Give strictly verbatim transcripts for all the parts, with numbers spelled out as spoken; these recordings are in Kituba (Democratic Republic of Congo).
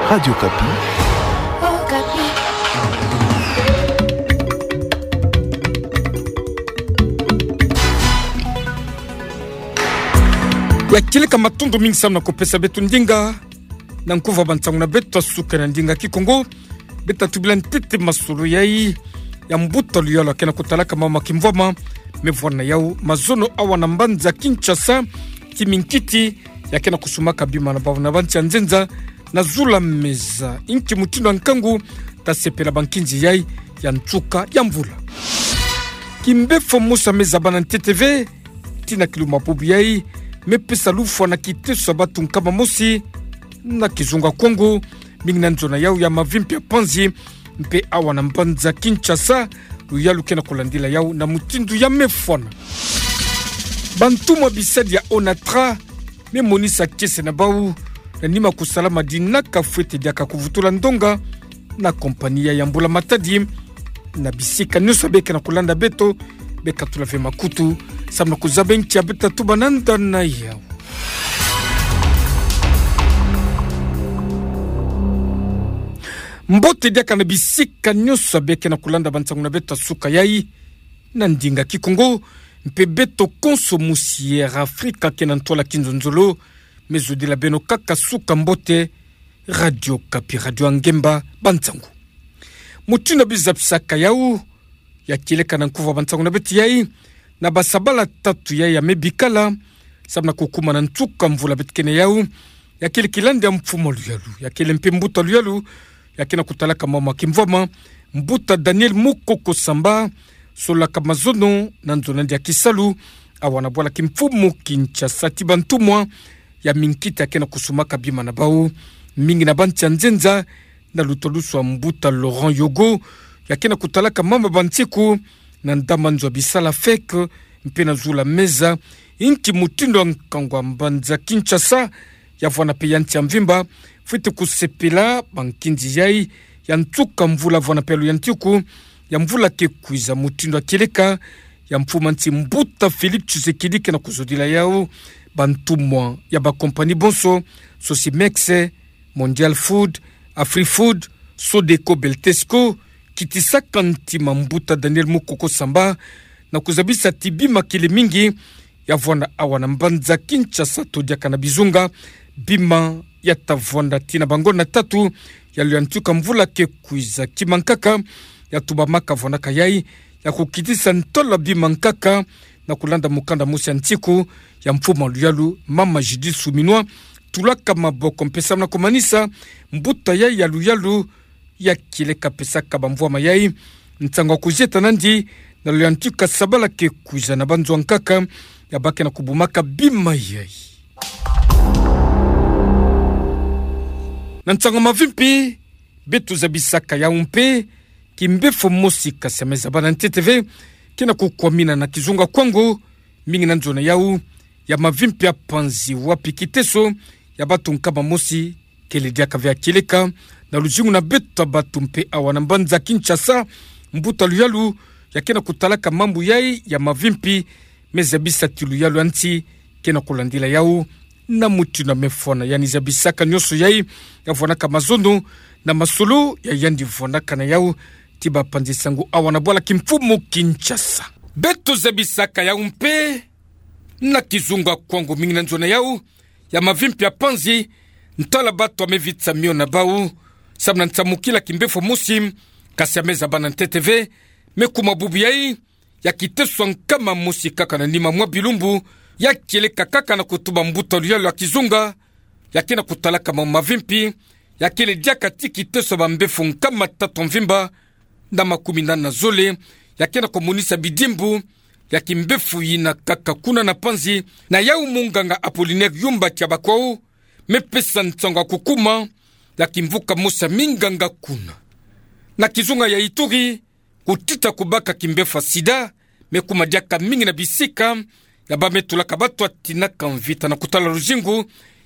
Radio Okapi. Ya kieleka, matondo mingi samu na kupesa beto ndinga na nkuva ba nsangu na beto ya suka na ndinga Kikongo. Beto tubila ntete masolo yai ya mbuta luyalu ya kena kutalaka mama kimvwama me vwana yau mazono awa na mbanza Kinshasa, ti minkiti ya kena kusumaka bima na bau na bansi ya nzenza na zula meza. Nki mutindu ya nkangu tasepela ba nkinzi yai ya nsuka ya mvula? Kimbefo mosi ya meza bana ntete ve, ti na kilumbu bubu yai, me pesa lufwa na kiteso ya batu nkama mosi na kizunga Kongo, mingi na nzo na yau ya mavimpi ya panzi, mpe awa na mbanza Kinshasa, luyalu kena kulandila yau na mutindu ya mefwana. Bantumwa bisadi ya Onatra me monisa kiese na bau na nima kusala madinaka fwete diaka kuvutula ndonga na kompani ya mbula matadi. Na bisika nyonso beka na kulanda beto, beka tula ve makutu samu na kuzaba nki ya beta tuba nanda na yau. Mbote diaka na bisika nyonso beka na kulanda ba nsangu na beto ya suka yai na ndinga Kikongo, mpe beto konso musi Air Afrika kena ntwala kinzonzolo, me zodila beno kaka suka mbote. Radio Okapi, radio ya ngemba ba nsangu. Mutindu ya biza bisaka yau, ya kieleka na nkuva ba nsangu na beto yai, na basabala tatu yai ya me bikala samu na kukumana nsuka mvula beto kena yau, ya kele kilandi ya mfumu luyalu, ya kele mpe mbuta luyalu ya kena kutalaka mama kimvwama, mbuta Daniel Mukoko Samba, solaka mazono na nzo na yandi ya kisalu awa na bwala kimfumu Kinshasa, ti bantumwa ya minkiti ya kena kusumaka bima na bau, mingi na bansi ya nzenza, na lutwalusu ya mbuta Laurent Yogo ya kena kutalaka mama ba nsiku na ndama nzo ya bisala feke, mpe na zula meza. Nki mutindu ya nkangu ya mbanza Kinshasa, ya vwana mpe ya nsi ya mvimba, fwete kusepela ba nkinzi yai ya nsuka mvula, vwana mpe ya luyantiku ya mvula ke kwiza, mutindu ya kieleka ya mfumu ya nsi mbuta Félix Tshisekedi kena kuzodila yau, bantumwa ya ba kompani bonso, Sosimex, Mondial Food, Afrifood, Sodeco, Beltesco, kitisaka ntima mbuta Daniel Mukoko Samba na kuzabisa ti bima kele mingi ya vwanda awa na mbanza Kinshasa to diaka na bizunga, bima ya ta vwanda tii na bangonda tatu ya luyantiku ya mvula ke kwiza. Kima nkaka ya tubamaka vwandaka yai ya kukitisa ntwala bima nkaka, na kulanda mukanda mosi ya nsiku ya mfumu ya luyalu, mama Judith Suminwa, tulaka maboko mpe samu na kumanisa mbuta yai ya luyalu, ya kieleka pesaka bamvwama yai nsangu ya kuzieta nandi na luyantiku ya sabala ke kwiza na banzo nkaka ya bake na kubumaka bima yai. Na nsangu ya mavimpi, beto zabisaka yau mpe kimbefo mosi kasi ya me zabana ntete ve, kena kukwamina na kizunga Kongo, mingi na nzo na yau ya mavimpi ya panzi, wapi kiteso ya batu nkama mosi kele diaka ve ya kieleka na luzingu na beto ya batu mpe awa na mbanza Kinshasa. Mbuta luyalu ya kena kutalaka mambu yai ya mavimpi me zabisa ti luyalu ya nsi kena kulandila yau na mutindu ya me fwana. Yandi zabisaka nyonso yai ya vwanaka mazono na masolo ya yandi vwanaka na yau ti bapanzi sango awa na bwala kimfumu Kinshasa. Beto zabisaka yau mpe na kizunga Kongo, mingi na nzo na yau ya mavimpi ya panzi, ntwala batu ya me vitisa mio na bau samu na nsamukila kimbefo mosi kasi ya me zabana ntete ve, me kuma bubu yai ya kiteso ya nkama mosi kaka na nima mwa bilumbu, ya kieleka kaka na kutuba mbuta luyalu ya kizunga ya kena kutalaka mambu mavimpi, ya kele diaka ti kiteso ya bambefo nkama tatu ya mvimba na makumi nani na zole, ya kena kumonisa bidimbu ya kimbefo yina kaka kuna na panzi. Na yau munganga Apollinaire Yumba Tiabakwau me pesa nsangu ya kukuma ya kimvuka mosi ya minganga kuna. Na kizunga ya Ituri, kutita kubaka kimbefo ya sida me kuma diaka mingi na bisika ya ba me tulaka batu ya tinaka mvita na kutala luzingu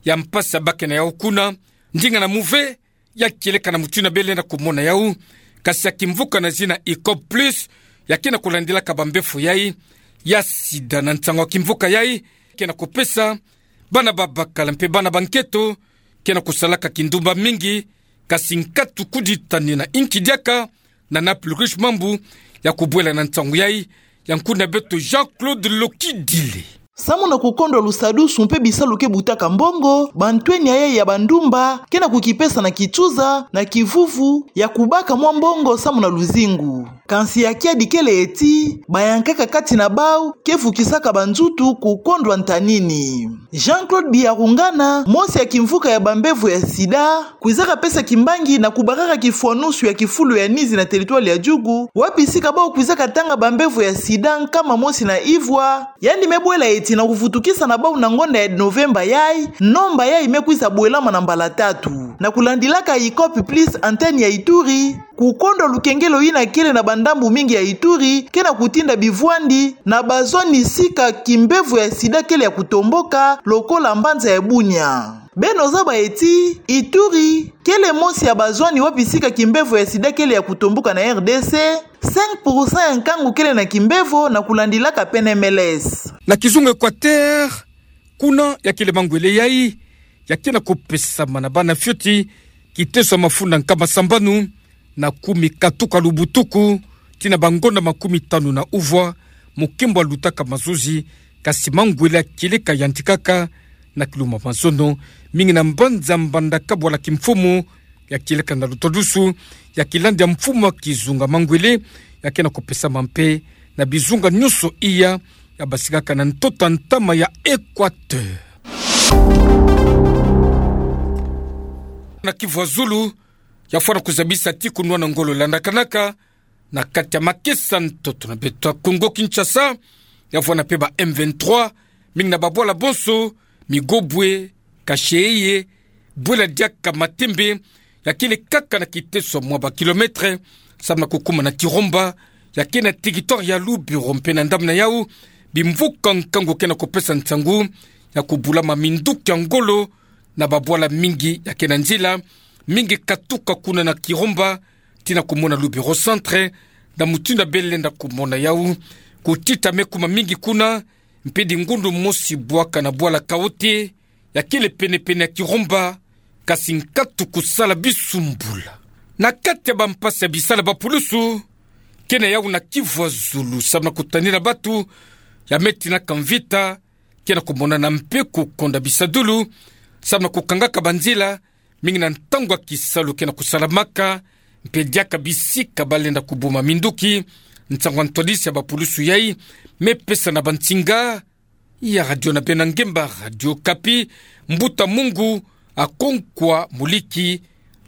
ya mpasi ya bake na yau kuna. Ndinga na muve ya kieleka na mutindu ya bele na kumona yau, kasi ya kimvuka na zina Icop Plus ya kena kulandilaka bambefo yai ya sida. Na nsangu ya kimvuka yai kena kupesa bana babakala mpe bana banketo kena kusalaka kindumba mingi Kasi nkatu kuditani na inki diaka, na Naples Riche Mambu, ya kubwela na ntangu yai, ya nkuna beto Jean-Claude Lokidile. Samu na kukondwa lusadusu mpe bisalu ke butaka mbongo, bantweni ya yai ya bandumba ke na kukipesa na kituza, na kivuvu, ya kubaka mwa mbongo samu na luzingu. Kansi ya kiadi kele eti, bayankaka kati na bau ke vukisaka banzutu kukondwa ntanini. Jean-Claude Biyarungana, mosi ya kimvuka ya bambevo ya sida, kwizaka pesa kimbangi na kubakaka kifwanusu ya kifulu ya nizi na territoire ya Djugu, wapi sika bau kwizaka tanga bambevo ya sida nkama mosi na ivwa, yandi me bwela eti na kuvutukisa na bau na ngonda ya Novemba yai, nomba yai me kwiza bwelama na mbala tatu. Na kulandilaka Icop Plus, antenne ya Ituri, kukondwa lukengelo yina kele na bandambu mingi ya Ituri ke na kutinda bivwandi na bazwani sika kimbevo ya sida kele ya kutomboka, lokola mbanza ya Bunia. Beno zaba eti, Ituri kele mosi ya bazwani wapi sika kimbevo ya sida kele ya kutomboka na R D C, cinq pour cent ya nkangu kele na kimbevo, na kulandilaka P N M L S. Na kizunga Equateur, kuna ya kele mangwele yai, ya ke na kupesama na bana fioti, kiteso ya mafunda nkama sambanu na kumi katuka lubutuku, tii na bangonda makumi tanu na uvwa, mokembo alutaka mazozi, kasi mangwele ya kieleka yantikaka, na kiluma mazono, mingi na mbanza Mbandaka bwala kimfumu, ya kieleka na lutwadusu, ya kilandi ya mfumu ya kizunga mangwele, ya ke na kupesama mpe, na bizunga nyonso iya, ya basikaka na ntoto ntama ya Equateur. Na Kivu ya zulu, ya fwana kuzabisa ti kunwana ngolo landakanaka, na kati ya makesa ntoto na beto ya Kongo Kinshasa, ya fwana mpe ba M vingt-trois, mingi na babwala bonso, Migobwe, Kasheye, bwela diaka Matembe, ya kele kaka na kiteso mwa ba kilomètre, samu na kukuma na Kiromba, ya ke na territoire ya Lubero mpe na ndambu na yau, bimvuka nkangu ke na kupesa nsangu, ya kubulama minduki ya ngolo, na babwala mingi ya ke na nzila, mingi katuka kuna na Kiromba, tii na kumona Lubero Centre, na mutindu ya bele lenda kumona yau, kutita me kuma mingi kuna, mpe dingundu mosi bwaka na bwala Kaote, ya kele pene-pene ya Kiromba, kasi nkatu kusala bisumbula. Na kati ya bampasi ya bisalu ya bapulusu, ke na yau na Kivu ya zulu, samu na kutanina batu, ya me tinaka mvita, ke na kumonana mpe kukonda bisadulu, samu na kukangaka banzila, mingi na ntangu ya kisalu ke na kusalamaka, mpe diaka bisika balenda kubuma minduki, nsangu ya ntwadisi ya bapulusu yai, me pesa na bansinga ya radio na beno ya ngemba Radio Okapi, Mbuta Mungu Akonkwa Muliki,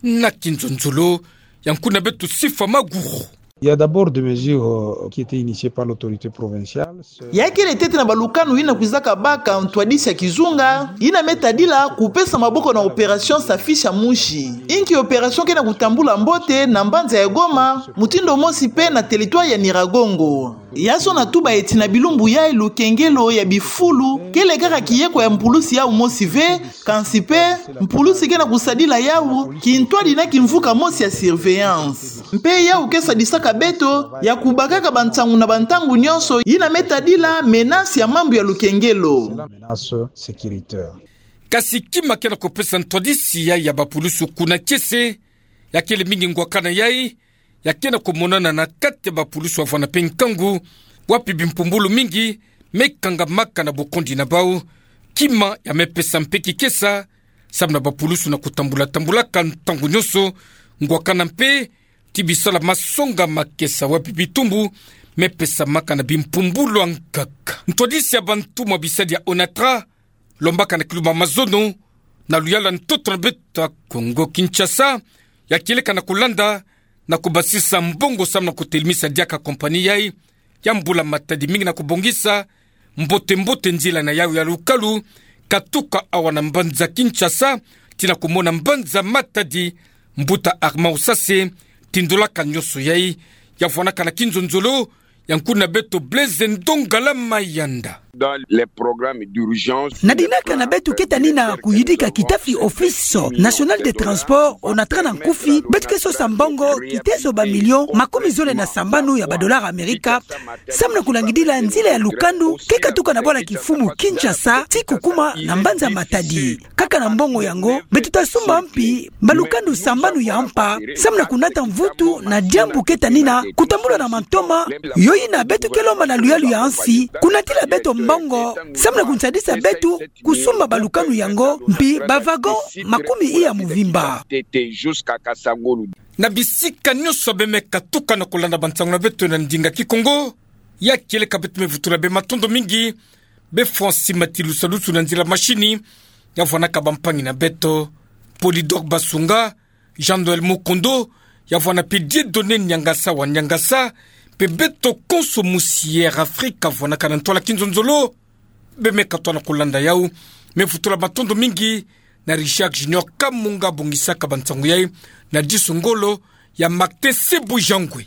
na kinzonzolo ya nkuna beto Sifa Maguru. Il y a d'abord des mesures, euh, qui étaient initiées par l'autorité provinciale. Ya kele ntete na balukanu yina kwizaka baka ntwadisi ya kizunga, yina me tadila kupesa maboko na opération Safisha Mji. Inki opération ke na kutambula mbote na mbanza ya Goma, mutindu mosi mpe na territoire ya Nyiragongo. Ya zona tuba eti na bilumbu yai lukengelo ya bifulu, kele kaka kieko ya mpulusi yau mosi ve, kansi mpe, mpulusi ke na kusadila yau, kintwadi na kimvuka mosi ya surveillance. Mpe yau ke sadisaka beto, ya kubakaka bansangu na bantangu nyonso, yina me tadila menace ya mambu ya lukengelo. Menace sécuritaire. Kasi kima ke na kupesa ntwadisi yai ya bapulusu kuna kiese, ya kele mingi ngwakana yai, ya ke na kumonana na kati ya bapulusu ya fwana mpe nkangu, wapi bimpumbulu mingi me kangamaka na bokondi na bau, kima ya me pesa mpe kikesa, samu na bapulusu na kutambula-tambulaka ntangu nyonso, ngwakana mpe, ti bisalu ya masonga makesa wapi bitumbu me pesamaka na bimpumbulu ya nkaka. Ntwadisi ya bantumwa bisadi ya ONATRA, lombaka na kiluma mazono, na luyalu ya ntoto na beto ya Kongo Kinshasa, ya kieleka na kulanda, na kubasisa mbongo samu na kutelemisa diaka compagnie yai, ya mbula Matadi mingi na kubongisa mbote-mbote nzila na yau ya lukalu, katuka awa na mbanza Kinshasa, tii na kumona mbanza Matadi, mbuta Armand Usase, tindolaka nyonso yai, ya fwanaka na kinzonzolo, Ya nkuna beto Blaise Ndongala Mayanda. Dans les programmes d'urgence, na dinaka na beto keta ni na kuyidika kitafi Office National des Transports, ona tara na nkufi beto ke sosa mbongo kitezo ba millions makumi zole na sambanu ya ba dollars Amerika, samu na kulangidila nzila ya lukanu ke katuka na bwala kifumu Kinshasa ti kukuma na mbanza Matadi. Kaka na mbongo yango, beto ta sumba mpi mbalukanu sambanu ya mpa, samu na kunata mvutu na diambu keta ni na kutambula na mantoma, yo yina beto ke lomba na luyalu ya nsi kunatila beto mbongo, samu na kunsadisa beto kusumba balukanu yango, mpi ba wagons makumi iya mvimba. Na bisika nyonso bemeka tuka na kulanda bansangu na beto na ndinga Kikongo, ya kieleka beto me vutula be matondo mingi be Francis Matilusa Lusu na nzila machine, ya vwanaka bampangi na beto, Polydor Basunga, Jean-Noël Mukondo, ya vwana mpe Dieudonné Niangasa wa Niangasa, mpe beto konso musi Air Afrika vwanaka na ntwala kinzonzolo, bemeka twa na kulanda yau. Me vutula matondo mingi na Richard Junior Kamunga bongisaka bansangu yai, na disu ngolo ya Martin Sebujangwe.